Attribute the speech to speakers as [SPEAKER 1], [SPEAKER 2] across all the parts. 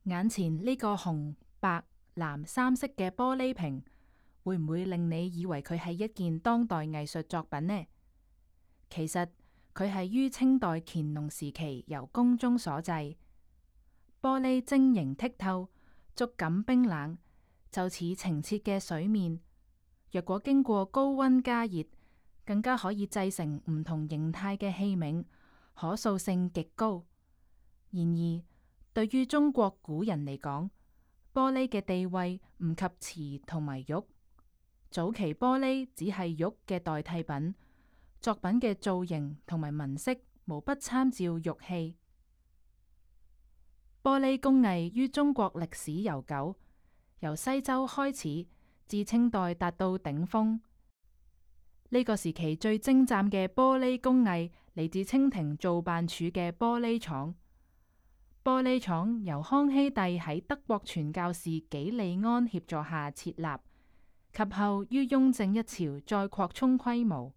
[SPEAKER 1] 眼前呢個紅、白、藍三色嘅玻璃瓶，會唔會令你以為佢係一件當代藝術作品呢？其實佢係於清代乾隆時期由宮中所製，玻璃晶瑩剔透，觸感冰冷，就似澄澈嘅水面。若果經過高溫加熱，更加可以製成唔同形態嘅器皿，可塑性極高。然而，對於中國古人嚟講，玻璃嘅地位唔及瓷同埋玉。早期玻璃只係玉嘅代替品，作品嘅造型同埋紋飾無不參照玉器。玻璃工藝於中國歷史悠久，由西周開始至清代達到頂峰。呢個時期最精湛嘅玻璃工藝嚟自清廷造辦處嘅玻璃廠。玻璃廠由康熙帝喺德國傳教士紀利安協助下設立，及後於雍正一朝再擴充規模。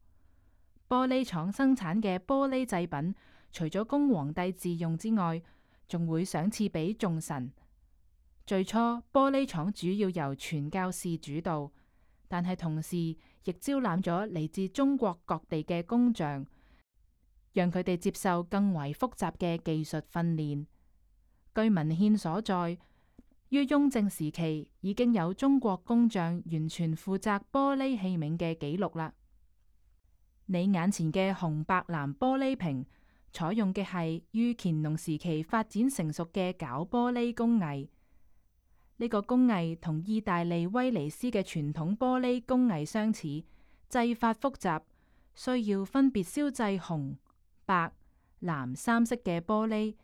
[SPEAKER 1] 玻璃廠生產嘅玻璃製品，除咗供皇帝自用之外，仲會賞賜俾眾臣。最初玻璃廠主要由傳教士主導，但係同時亦招攬咗嚟自中國各地嘅工匠，讓佢哋接受更為複雜嘅技術訓練。據文獻所在，於雍正時期已經有中國工匠完全負責玻璃器皿嘅記錄啦。你眼前嘅紅白藍玻璃瓶，採用嘅係於乾隆時期發展成熟嘅絞玻璃工藝。呢個工藝同意大利威尼斯嘅傳統玻璃工藝相似，製法複雜，需要分別燒製紅、白、藍三色嘅玻璃，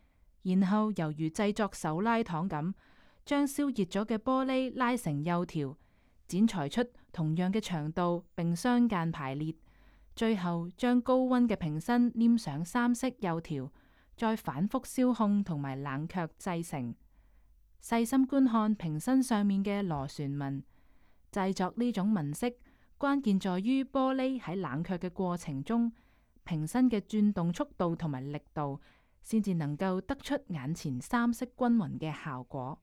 [SPEAKER 1] 然後猶如製作手拉糖咁，將燒熱咗嘅玻璃拉成幼條，剪裁出同樣嘅長度，並相間排列，最後將高溫嘅瓶身黏上三色幼條，再反復燒烘同埋冷卻製成。細心觀看瓶身上面嘅螺旋紋，製作呢種紋飾，關鍵在於玻璃喺冷卻嘅過程中，瓶身嘅轉動速度同埋力度，先至能夠得出眼前三色均勻嘅效果。